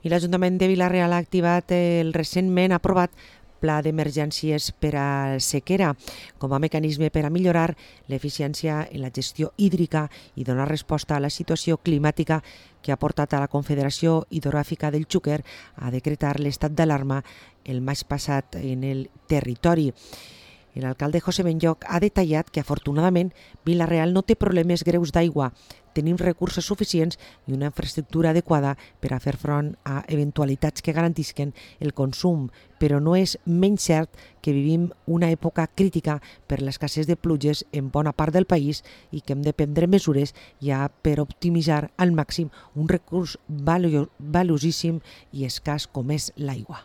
I l'Ajuntament de Vila-real ha activat el recentment aprovat Pla d'Emergències per a sequera com a mecanisme per a millorar l'eficiència en la gestió hídrica i donar resposta a la situació climàtica que ha portat a la Confederació Hidrogràfica del Xúquer a decretar l'estat d'alarma el maig passat en el territori. L'alcalde José Benlloch ha detallat que afortunadament Vila-real no té problemes greus d'aigua, tenim recursos suficients i una infraestructura adequada per a fer front a eventualitats que garantisquen el consum, però no és menys cert que vivim una època crítica per l'escassez de pluges en bona part del país i que hem de prendre mesures ja per optimitzar al màxim un recurs valuosíssim i escàs com és l'aigua.